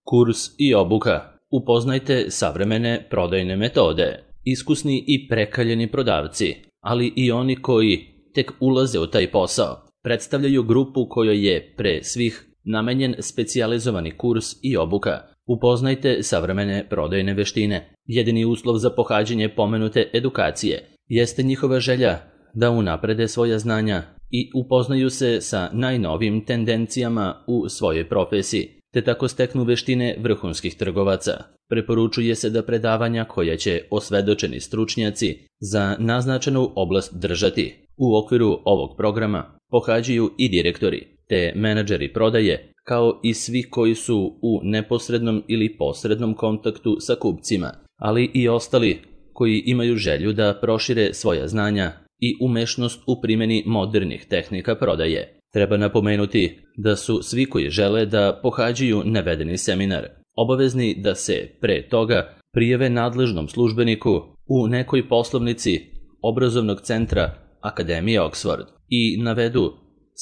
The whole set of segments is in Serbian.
Kurs i obuka. Upoznajte savremene prodajne metode. Iskusni i prekaljeni prodavci, ali i oni koji tek ulaze u taj posao, predstavljaju grupu kojoj je pre svih namenjen specijalizovani kurs i obuka. Upoznajte savremene prodajne veštine. Jedini uslov za pohađanje pomenute edukacije jeste njihova želja da unaprede svoja znanja i upoznaju se sa najnovijim tendencijama u svojoj profesiji, te tako steknu veštine vrhunskih trgovaca. Preporučuje se da predavanja koja će osvedočeni stručnjaci za naznačenu oblast držati u okviru ovog programa pohađaju i direktori, te menadžeri prodaje, kao i svi koji su u neposrednom ili posrednom kontaktu sa kupcima, ali i ostali koji imaju želju da prošire svoja znanja i umešnost u primjeni modernih tehnika prodaje. Treba napomenuti da su svi koji žele da pohađaju navedeni seminar obavezni da se pre toga prijave nadležnom službeniku u nekoj poslovnici obrazovnog centra Akademije Oxford i navedu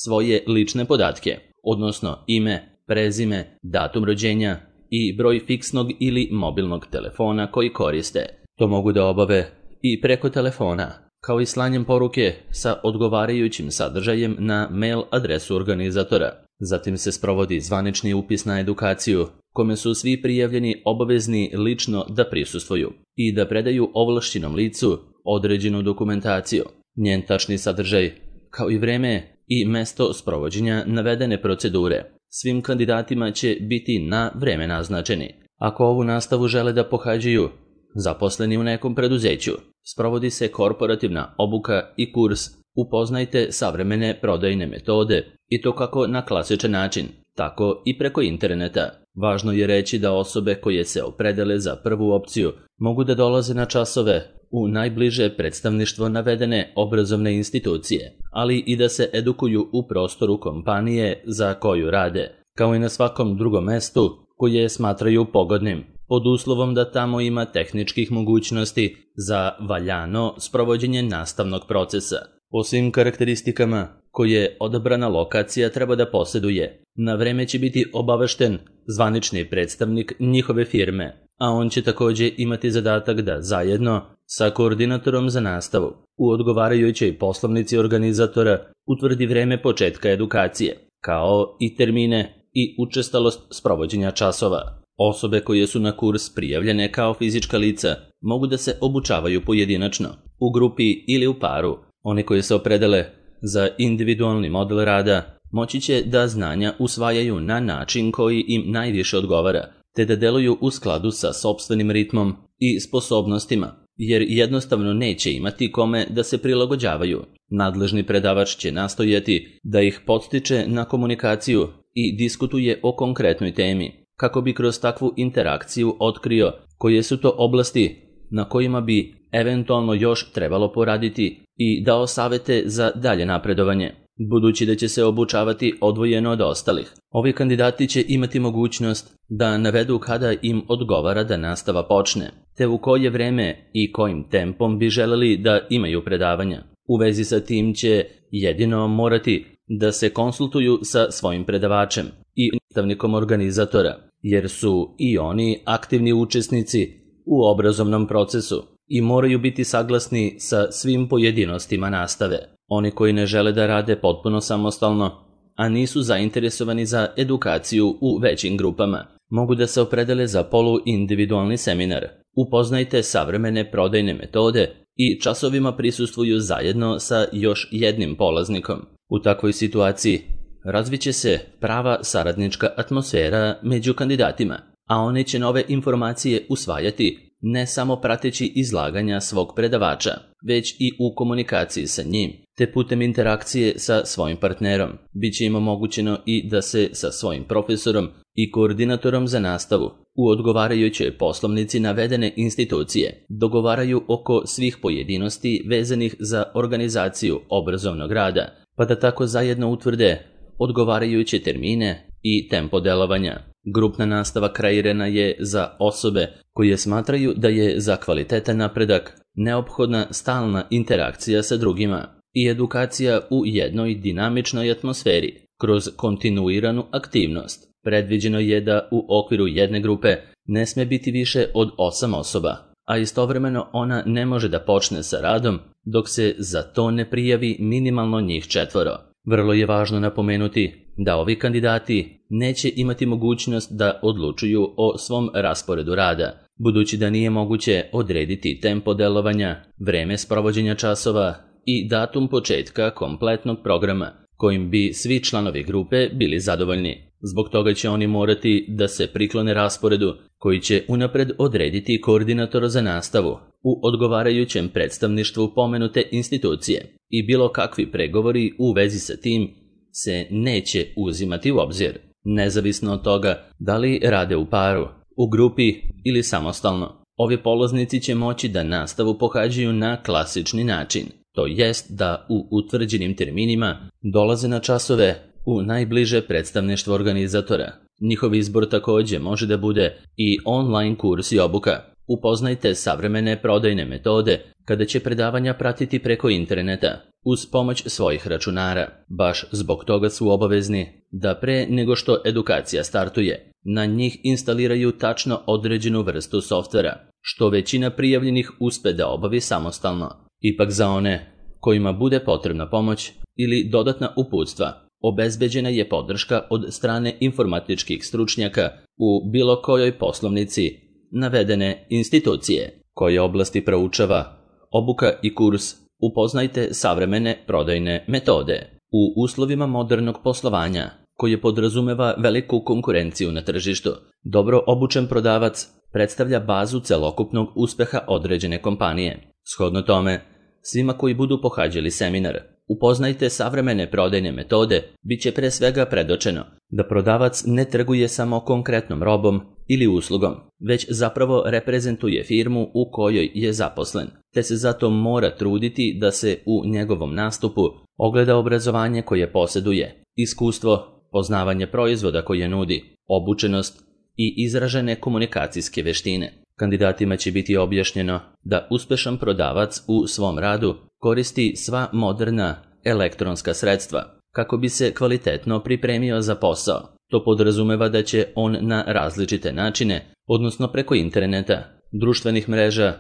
svoje lične podatke, odnosno ime, prezime, datum rođenja i broj fiksnog ili mobilnog telefona koji koriste. To mogu da obave i preko telefona, kao i slanjem poruke sa odgovarajućim sadržajem na mail adresu organizatora. Zatim se sprovodi zvanični upis na edukaciju, kome su svi prijavljeni obavezni lično da prisustvuju i da predaju ovlašćenom licu određenu dokumentaciju, njen tačni sadržaj, kao i vreme i mesto sprovođenja navedene procedure. Svim kandidatima će biti na vreme naznačeni. Ako ovu nastavu žele da pohađaju zaposleni u nekom preduzeću, sprovodi se korporativna obuka i kurs. Upoznajte savremene prodajne metode i to kako na klasičan način, tako i preko interneta. Važno je reći da osobe koje se opredele za prvu opciju mogu da dolaze na časove u najbliže predstavništvo navedene obrazovne institucije, ali i da se edukuju u prostoru kompanije za koju rade, kao i na svakom drugom mestu koje smatraju pogodnim, pod uslovom da tamo ima tehničkih mogućnosti za valjano sprovođenje nastavnog procesa. Po svim karakteristikama koje odabrana lokacija treba da posjeduje, na vreme će biti obavešten zvanični predstavnik njihove firme, a on će također imati zadatak da zajedno sa koordinatorom za nastavu u odgovarajućoj poslovnici organizatora utvrdi vreme početka edukacije, kao i termine i učestalost sprovođenja časova. Osobe koje su na kurs prijavljene kao fizička lica mogu da se obučavaju pojedinačno, u grupi ili u paru. Oni koji se opredele za individualni model rada moći će da znanja usvajaju na način koji im najviše odgovara, te da deluju u skladu sa sopstvenim ritmom i sposobnostima, jer jednostavno neće imati kome da se prilagođavaju. Nadležni predavač će nastojati da ih podstiče na komunikaciju i diskutuje o konkretnoj temi, kako bi kroz takvu interakciju otkrio koje su to oblasti na kojima bi eventualno još trebalo poraditi i dao savete za dalje napredovanje. Budući da će se obučavati odvojeno od ostalih, ovi kandidati će imati mogućnost da navedu kada im odgovara da nastava počne, te u koje vreme i kojim tempom bi želeli da imaju predavanja. U vezi sa tim će jedino morati da se konsultuju sa svojim predavačem i nastavnikom organizatora, jer su i oni aktivni učesnici u obrazovnom procesu i moraju biti saglasni sa svim pojedinostima nastave. Oni koji ne žele da rade potpuno samostalno, a nisu zainteresovani za edukaciju u većim grupama, mogu da se opredele za poluindividualni seminar. Upoznajte savremene prodajne metode i časovima prisustvuju zajedno sa još jednim polaznikom. U takvoj situaciji razviće se prava saradnička atmosfera među kandidatima, a oni će nove informacije usvajati ne samo prateći izlaganja svog predavača, već i u komunikaciji sa njim, te putem interakcije sa svojim partnerom. Biće im omogućeno i da se sa svojim profesorom i koordinatorom za nastavu u odgovarajućoj poslovnici navedene institucije dogovaraju oko svih pojedinosti vezanih za organizaciju obrazovnog rada, pa da tako zajedno utvrde odgovarajuće termine i tempo delovanja. Grupna nastava kreirana je za osobe koje smatraju da je za kvalitetan napredak neophodna stalna interakcija sa drugima i edukacija u jednoj dinamičnoj atmosferi kroz kontinuiranu aktivnost. Predviđeno je da u okviru jedne grupe ne sme biti više od 8 osoba, a istovremeno ona ne može da počne sa radom dok se za to ne prijavi minimalno njih 4. Vrlo je važno napomenuti da ovi kandidati neće imati mogućnost da odlučuju o svom rasporedu rada, budući da nije moguće odrediti tempo delovanja, vreme sprovođenja časova i datum početka kompletnog programa kojim bi svi članovi grupe bili zadovoljni. Zbog toga će oni morati da se priklone rasporedu koji će unapred odrediti koordinator za nastavu u odgovarajućem predstavništvu pomenute institucije i bilo kakvi pregovori u vezi sa tim se neće uzimati u obzir, nezavisno od toga da li rade u paru, u grupi ili samostalno. Ovi polaznici će moći da nastavu pohađaju na klasični način, to jest da u utvrđenim terminima dolaze na časove u najbliže predstavništvo organizatora. Njihov izbor takođe može da bude i online kurs i obuka. Upoznajte savremene prodajne metode kada će predavanja pratiti preko interneta uz pomoć svojih računara. Baš zbog toga su obavezni da pre nego što edukacija startuje, na njih instaliraju tačno određenu vrstu softvera, što većina prijavljenih uspe da obavi samostalno. Ipak za one kojima bude potrebna pomoć ili dodatna uputstva, obezbeđena je podrška od strane informatičkih stručnjaka u bilo kojoj poslovnici navedene institucije. Koje oblasti proučava obuka i kurs? Upoznajte savremene prodajne metode. U uslovima modernog poslovanja, koje podrazumeva veliku konkurenciju na tržištu, dobro obučen prodavac predstavlja bazu celokupnog uspeha određene kompanije. Shodno tome, svima koji budu pohađali seminar Upoznajte savremene prodajne metode, bit će pre svega predočeno da prodavac ne trguje samo konkretnom robom ili uslugom, već zapravo reprezentuje firmu u kojoj je zaposlen, te se zato mora truditi da se u njegovom nastupu ogleda obrazovanje koje posjeduje, iskustvo, poznavanje proizvoda koje nudi, obučenost i izražene komunikacijske veštine. Kandidatima će biti objašnjeno da uspešan prodavac u svom radu koristi sva moderna elektronska sredstva kako bi se kvalitetno pripremio za posao. To podrazumeva da će on na različite načine, odnosno preko interneta, društvenih mreža,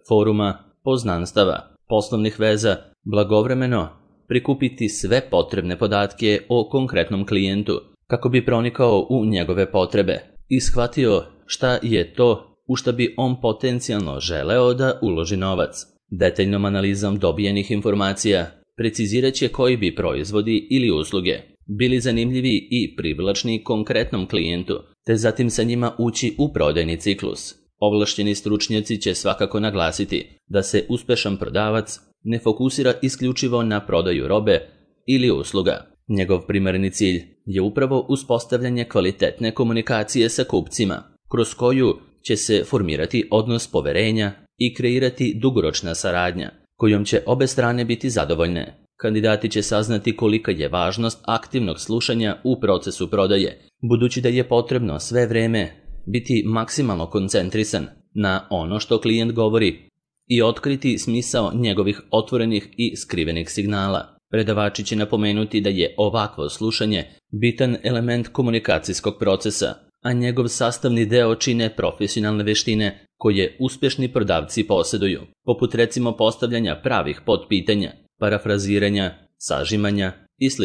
foruma, poznanstava, poslovnih veza, blagovremeno prikupiti sve potrebne podatke o konkretnom klijentu kako bi pronikao u njegove potrebe i shvatio šta je to u šta bi on potencijalno želeo da uloži novac. Detaljnom analizom dobijenih informacija precizirat će koji bi proizvodi ili usluge bili zanimljivi i privlačni konkretnom klijentu, te zatim sa njima ući u prodajni ciklus. Ovlašćeni stručnjaci će svakako naglasiti da se uspešan prodavac ne fokusira isključivo na prodaju robe ili usluga. Njegov primarni cilj je upravo uspostavljanje kvalitetne komunikacije sa kupcima, kroz koju će se formirati odnos poverenja i kreirati dugoročna saradnja, kojom će obe strane biti zadovoljne. Kandidati će saznati kolika je važnost aktivnog slušanja u procesu prodaje, budući da je potrebno sve vreme biti maksimalno koncentrisan na ono što klijent govori i otkriti smisao njegovih otvorenih i skrivenih signala. Predavači će napomenuti da je ovakvo slušanje bitan element komunikacijskog procesa, a njegov sastavni deo čine profesionalne veštine koje uspešni prodavci posjeduju, poput recimo postavljanja pravih podpitanja, parafraziranja, sažimanja i sl.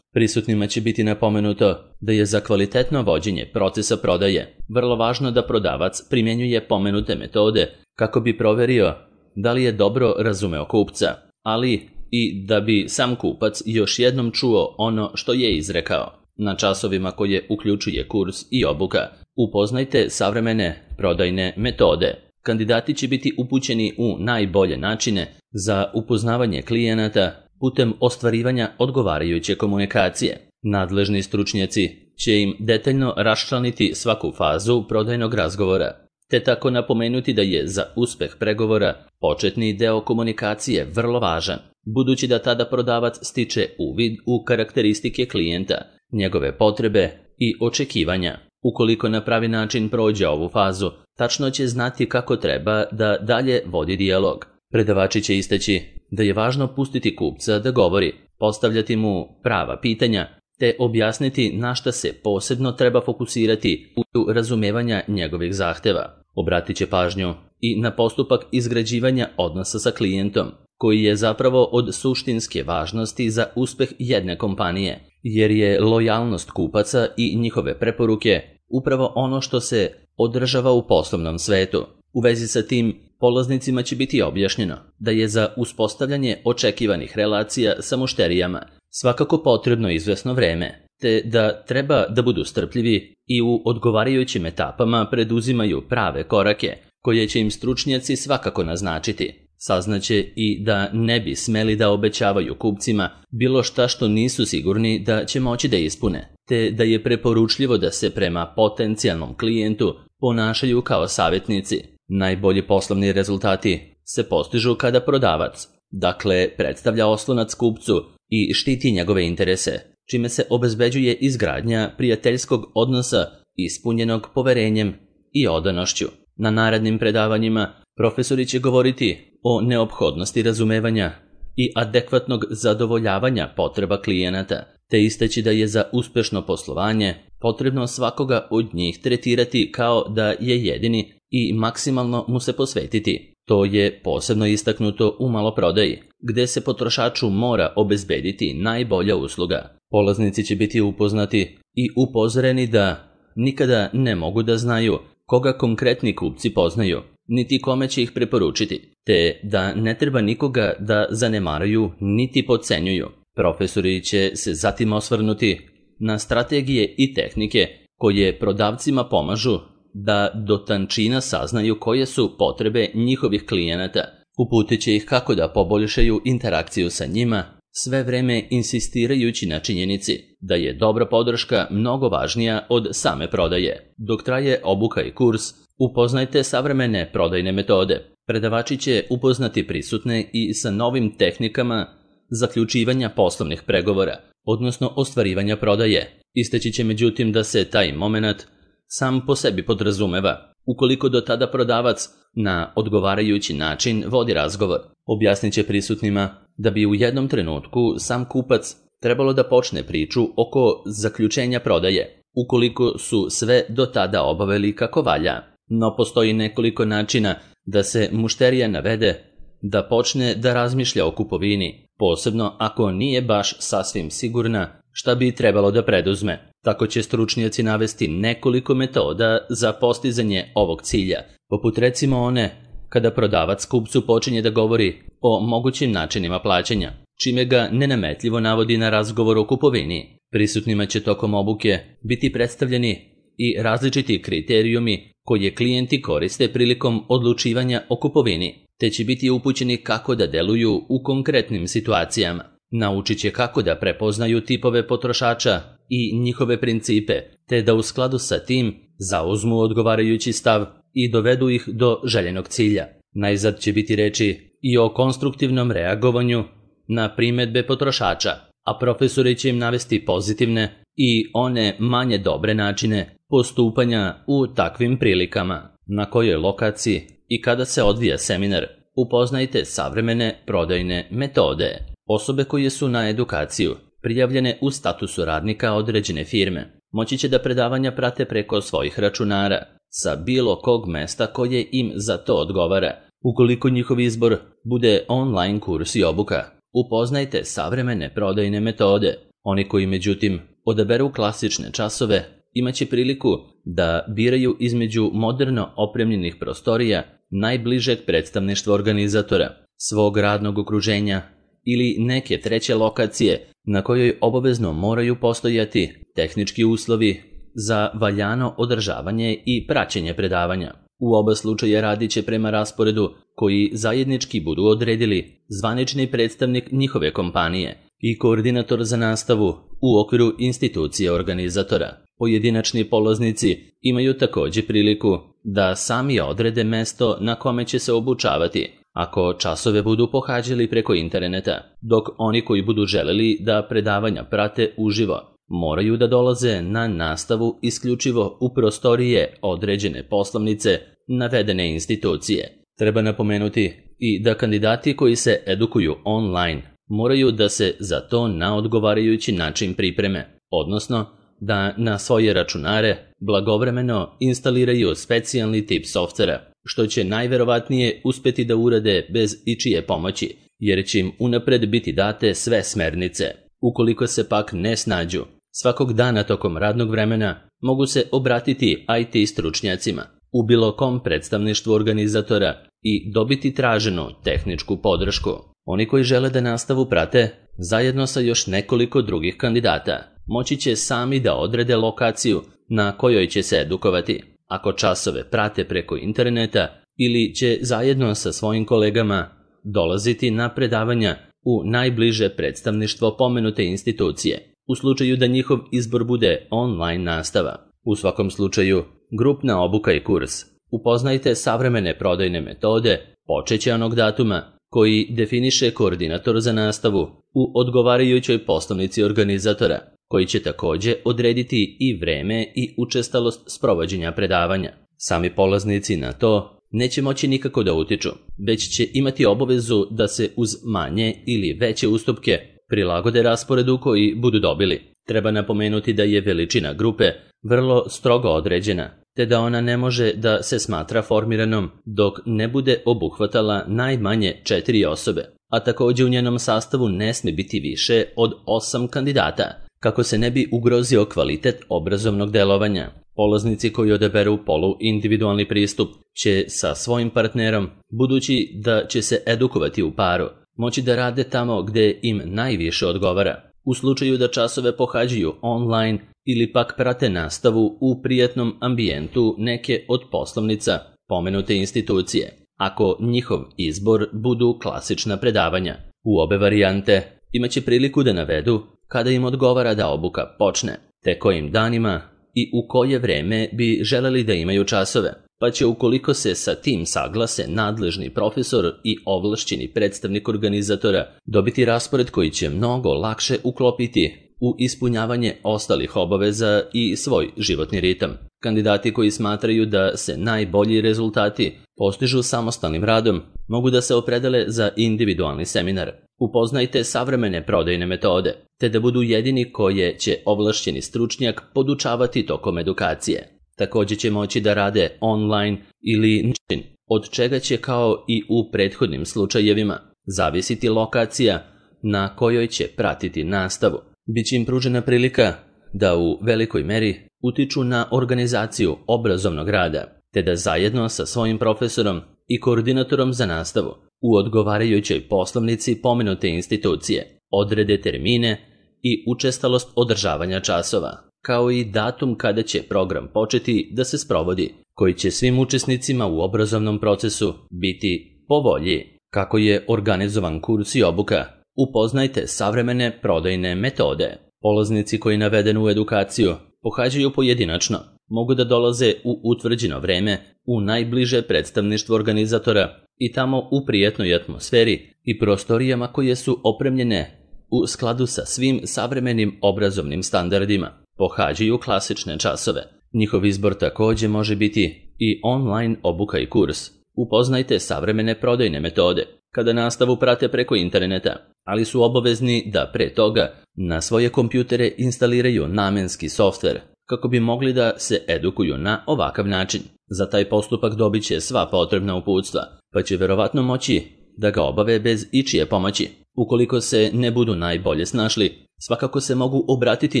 Prisutnima će biti napomenuto da je za kvalitetno vođenje procesa prodaje vrlo važno da prodavac primjenjuje pomenute metode kako bi proverio da li je dobro razumeo kupca, ali i da bi sam kupac još jednom čuo ono što je izrekao. Na časovima koje uključuje kurs i obuka, upoznajte savremene prodajne metode. Kandidati će biti upućeni u najbolje načine za upoznavanje klijenata putem ostvarivanja odgovarajuće komunikacije. Nadležni stručnjaci će im detaljno raščlaniti svaku fazu prodajnog razgovora, te tako napomenuti da je za uspeh pregovora početni deo komunikacije vrlo važan, budući da tada prodavac stiče uvid u karakteristike klijenta, njegove potrebe i očekivanja. Ukoliko na pravi način prođe ovu fazu, tačno će znati kako treba da dalje vodi dijalog. Predavači će istaći da je važno pustiti kupca da govori, postavljati mu prava pitanja te objasniti na šta se posebno treba fokusirati u razumevanja njegovih zahteva. Obratit će pažnju i na postupak izgrađivanja odnosa sa klijentom, koji je zapravo od suštinske važnosti za uspeh jedne kompanije, jer je lojalnost kupaca i njihove preporuke upravo ono što se održava u poslovnom svetu. U vezi sa tim, polaznicima će biti objašnjeno da je za uspostavljanje očekivanih relacija sa mušterijama svakako potrebno izvesno vreme, te da treba da budu strpljivi i u odgovarajućim etapama preduzimaju prave korake, koje će im stručnjaci svakako naznačiti. Saznaće i da ne bi smeli da obećavaju kupcima bilo šta što nisu sigurni da će moći da ispune, te da je preporučljivo da se prema potencijalnom klijentu ponašaju kao savjetnici. Najbolji poslovni rezultati se postižu kada prodavac, dakle, predstavlja oslonac kupcu i štiti njegove interese, čime se obezbeđuje izgradnja prijateljskog odnosa ispunjenog poverenjem i odanošću. Na narednim predavanjima profesori će govoriti o neophodnosti razumevanja i adekvatnog zadovoljavanja potreba klijenata, te istaći da je za uspešno poslovanje potrebno svakoga od njih tretirati kao da je jedini i maksimalno mu se posvetiti. To je posebno istaknuto u maloprodaji, gde se potrošaču mora obezbediti najbolja usluga. Polaznici će biti upoznati i upozoreni da nikada ne mogu da znaju koga konkretni kupci poznaju, niti kome će ih preporučiti, te da ne treba nikoga da zanemaruju niti podcenjuju. Profesori će se zatim osvrnuti na strategije i tehnike koje prodavcima pomažu da do tančina saznaju koje su potrebe njihovih klijenata. Uputit će ih kako da poboljšaju interakciju sa njima, sve vreme insistirajući na činjenici da je dobra podrška mnogo važnija od same prodaje. Dok traje obuka i kurs, upoznajte savremene prodajne metode. Predavači će upoznati prisutne i sa novim tehnikama zaključivanja poslovnih pregovora, odnosno ostvarivanja prodaje. Istaći će međutim da se taj moment sam po sebi podrazumeva, ukoliko do tada prodavac na odgovarajući način vodi razgovor. Objasnit će prisutnima da bi u jednom trenutku sam kupac trebalo da počne priču oko zaključenja prodaje, ukoliko su sve do tada obavili kako valja. No postoji nekoliko načina da se mušterija navede da počne da razmišlja o kupovini, posebno ako nije baš sasvim sigurna šta bi trebalo da preduzme. Tako će stručnjaci navesti nekoliko metoda za postizanje ovog cilja, poput recimo one kada prodavac kupcu počinje da govori o mogućim načinima plaćanja, čime ga nenametljivo navodi na razgovor o kupovini. Prisutnima će tokom obuke biti predstavljeni i različiti kriterijumi koje klijenti koriste prilikom odlučivanja o kupovini, te će biti upućeni kako da deluju u konkretnim situacijama. Naučit će kako da prepoznaju tipove potrošača i njihove principe, te da u skladu sa tim zauzmu odgovarajući stav i dovedu ih do željenog cilja. Najzad će biti reči i o konstruktivnom reagovanju na primedbe potrošača, a profesori će im navesti pozitivne i one manje dobre načine postupanja u takvim prilikama. Na kojoj lokaciji i kada se odvija seminar, upoznajte savremene prodajne metode. Osobe koje su na edukaciju prijavljene u statusu radnika određene firme moći će da predavanja prate preko svojih računara sa bilo kog mesta koje im za to odgovara. Ukoliko njihov izbor bude online kurs i obuka, upoznajte savremene prodajne metode. Oni koji međutim odaberu klasične časove imaće priliku da biraju između moderno opremljenih prostorija najbližeg predstavništva organizatora, svog radnog okruženja ili neke treće lokacije na kojoj obavezno moraju postojati tehnički uslovi za valjano održavanje i praćenje predavanja. U oba slučaja radit će prema rasporedu koji zajednički budu odredili zvanični predstavnik njihove kompanije i koordinator za nastavu u okviru institucije organizatora. Pojedinačni polaznici imaju također priliku da sami odrede mesto na kome će se obučavati, ako časove budu pohađali preko interneta, dok oni koji budu želeli da predavanja prate uživo, moraju da dolaze na nastavu isključivo u prostorije određene poslovnice navedene institucije. Treba napomenuti i da kandidati koji se edukuju online moraju da se za to na odgovarajući način pripreme, odnosno da na svoje računare blagovremeno instaliraju specijalni tip softvera, što će najverovatnije uspeti da urade bez ičije pomoći, jer će im unapred biti date sve smernice. Ukoliko se pak ne snađu, svakog dana tokom radnog vremena mogu se obratiti IT stručnjacima u bilo kom predstavništvu organizatora i dobiti traženu tehničku podršku. Oni koji žele da nastavu prate, zajedno sa još nekoliko drugih kandidata, moći će sami da odrede lokaciju na kojoj će se edukovati, ako časove prate preko interneta ili će zajedno sa svojim kolegama dolaziti na predavanja u najbliže predstavništvo pomenute institucije, u slučaju da njihov izbor bude online nastava. U svakom slučaju, grupna obuka i kurs Upoznajte savremene prodajne metode počeće onog datuma koji definiše koordinator za nastavu u odgovarajućoj poslovnici organizatora, koji će takođe odrediti i vreme i učestalost sprovođenja predavanja. Sami polaznici na to neće moći nikako da utiču, već će imati obavezu da se uz manje ili veće ustupke prilagode rasporedu koji budu dobili. Treba napomenuti da je veličina grupe vrlo strogo određena, te da ona ne može da se smatra formiranom dok ne bude obuhvatala najmanje 4 osobe, a takođe u njenom sastavu ne sme biti više od 8 kandidata, kako se ne bi ugrozio kvalitet obrazovnog delovanja. Polaznici koji odaberu poluindividualni pristup će sa svojim partnerom, budući da će se edukovati u paru, moći da rade tamo gde im najviše odgovara. U slučaju da časove pohađaju online ili pak prate nastavu u prijatnom ambijentu neke od poslovnica pomenute institucije, ako njihov izbor budu klasična predavanja. U obe varijante imaće priliku da navedu kada im odgovara da obuka počne, te kojim danima i u koje vreme bi želeli da imaju časove, pa će ukoliko se sa tim saglase nadležni profesor i ovlašćeni predstavnik organizatora dobiti raspored koji će mnogo lakše uklopiti u ispunjavanje ostalih obaveza i svoj životni ritam. Kandidati koji smatraju da se najbolji rezultati postižu samostalnim radom mogu da se opredele za individualni seminar. Upoznajte savremene prodajne metode, te da budu jedini koje će ovlašćeni stručnjak podučavati tokom edukacije. Takođe će moći da rade online ili način, od čega će kao i u prethodnim slučajevima zavisiti lokacija na kojoj će pratiti nastavu. Biće im pružena prilika da u velikoj meri utiču na organizaciju obrazovnog rada, te da zajedno sa svojim profesorom i koordinatorom za nastavu u odgovarajućoj poslovnici pomenute institucije odrede termine i učestalost održavanja časova, kao i datum kada će program početi da se sprovodi, koji će svim učesnicima u obrazovnom procesu biti po volji. Kako je organizovan kurs i obuka? Upoznajte savremene prodajne metode. Polaznici koji navedenu edukaciju pohađaju pojedinačno, mogu da dolaze u utvrđeno vreme u najbliže predstavništvo organizatora i tamo u prijatnoj atmosferi i prostorijama koje su opremljene u skladu sa svim savremenim obrazovnim standardima. Pohađaju klasične časove. Njihov izbor takođe može biti i online obuka i kurs. Upoznajte savremene prodajne metode kada nastavu prate preko interneta, ali su obavezni da pre toga na svoje kompjutere instaliraju namenski softver kako bi mogli da se edukuju na ovakav način. Za taj postupak dobit će sva potrebna uputstva, pa će verovatno moći da ga obave bez ičije pomoći. Ukoliko se ne budu najbolje snašli, svakako se mogu obratiti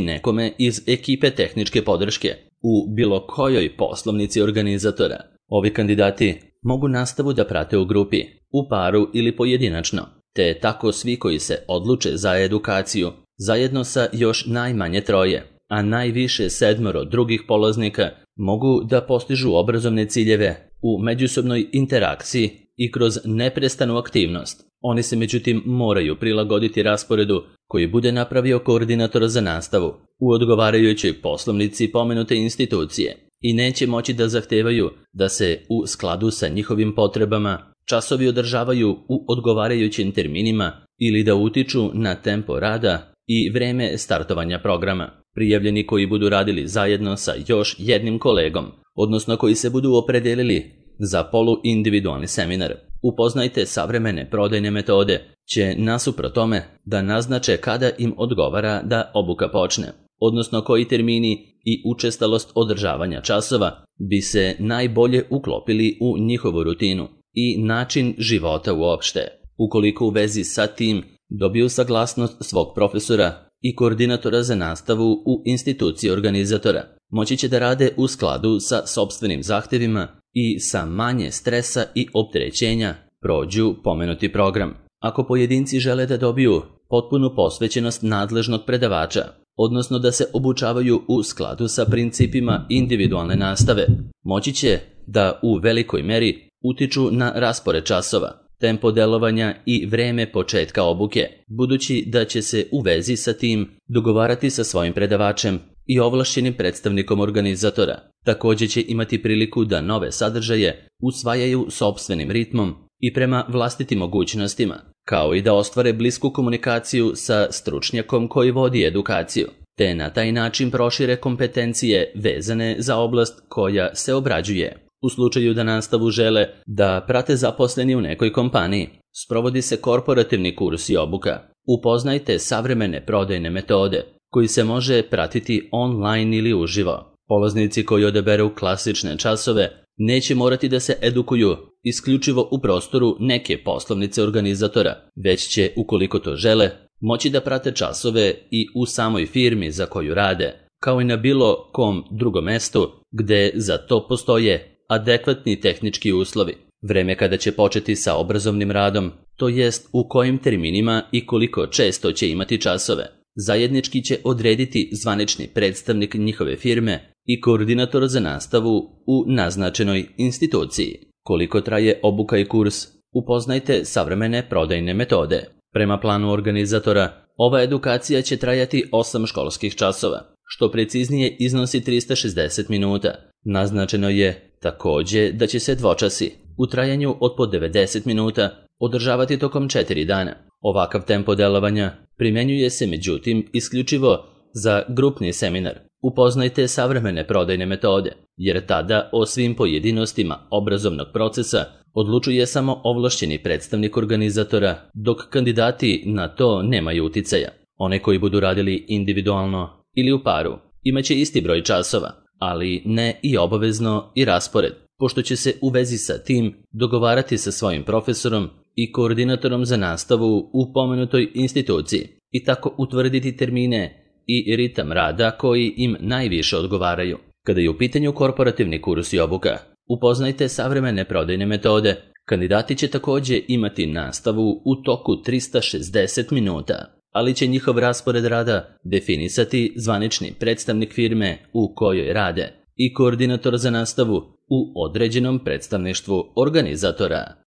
nekome iz ekipe tehničke podrške u bilo kojoj poslovnici organizatora. Ovi kandidati mogu nastavu da prate u grupi, u paru ili pojedinačno, te tako svi koji se odluče za edukaciju, zajedno sa još najmanje 3, a najviše 7 drugih polaznika, mogu da postižu obrazovne ciljeve u međusobnoj interakciji i kroz neprestanu aktivnost. Oni se međutim moraju prilagoditi rasporedu koji bude napravio koordinator za nastavu u odgovarajućoj poslovnici pomenute institucije i neće moći da zahtevaju da se u skladu sa njihovim potrebama časovi održavaju u odgovarajućim terminima ili da utiču na tempo rada i vreme startovanja programa. Prijavljeni koji budu radili zajedno sa još jednim kolegom, odnosno koji se budu opredelili za poluindividualni seminar, upoznajte savremene prodajne metode, će nasuprot tome da naznače kada im odgovara da obuka počne. odnosno koji termini i učestalost održavanja časova bi se najbolje uklopili u njihovu rutinu i način života uopšte. Ukoliko u vezi sa tim dobiju saglasnost svog profesora i koordinatora za nastavu u instituciji organizatora, moći će da rade u skladu sa sopstvenim zahtevima i sa manje stresa i opterećenja prođu pomenuti program. Ako pojedinci žele da dobiju potpunu posvećenost nadležnog predavača, odnosno da se obučavaju u skladu sa principima individualne nastave, moći će da u velikoj meri utiču na raspored časova, tempo delovanja i vreme početka obuke, budući da će se u vezi sa tim dogovarati sa svojim predavačem i ovlašćenim predstavnikom organizatora. Također će imati priliku da nove sadržaje usvajaju sopstvenim ritmom i prema vlastitim mogućnostima, kao i da ostvare blisku komunikaciju sa stručnjakom koji vodi edukaciju, te na taj način prošire kompetencije vezane za oblast koja se obrađuje. U slučaju da nastavu žele da prate zaposleni u nekoj kompaniji, sprovodi se korporativni kurs i obuka. Upoznajte savremene prodajne metode, koji se može pratiti online ili uživo. Polaznici koji odaberu klasične časove neće morati da se edukuju isključivo u prostoru neke poslovnice organizatora, već će, ukoliko to žele, moći da prate časove i u samoj firmi za koju rade, kao i na bilo kom drugom mestu gde za to postoje adekvatni tehnički uslovi. Vreme kada će početi sa obrazovnim radom, to jest u kojim terminima i koliko često će imati časove, zajednički će odrediti zvanični predstavnik njihove firme i koordinator za nastavu u naznačenoj instituciji. Koliko traje obuka i kurs? Upoznajte savremene prodajne metode. Prema planu organizatora, ova edukacija će trajati 8 školskih časova, što preciznije iznosi 360 minuta. Naznačeno je također da će se dvočasi u trajanju od po 90 minuta održavati tokom 4 dana. Ovakav tempo delovanja primjenjuje se međutim isključivo za grupni seminar. Upoznajte savremene prodajne metode, jer tada o svim pojedinostima obrazovnog procesa odlučuje samo ovlašćeni predstavnik organizatora, dok kandidati na to nemaju uticaja. One koji budu radili individualno ili u paru imaće isti broj časova, ali ne i obavezno i raspored, pošto će se u vezi sa tim dogovarati sa svojim profesorom i koordinatorom za nastavu u pomenutoj instituciji i tako utvrditi termine i ritam rada koji im najviše odgovaraju. Kada je u pitanju korporativni kurs i obuka, upoznajte savremene prodajne metode. Kandidati će također imati nastavu u toku 360 minuta, ali će njihov raspored rada definisati zvanični predstavnik firme u kojoj rade i koordinator za nastavu u određenom predstavništvu organizatora.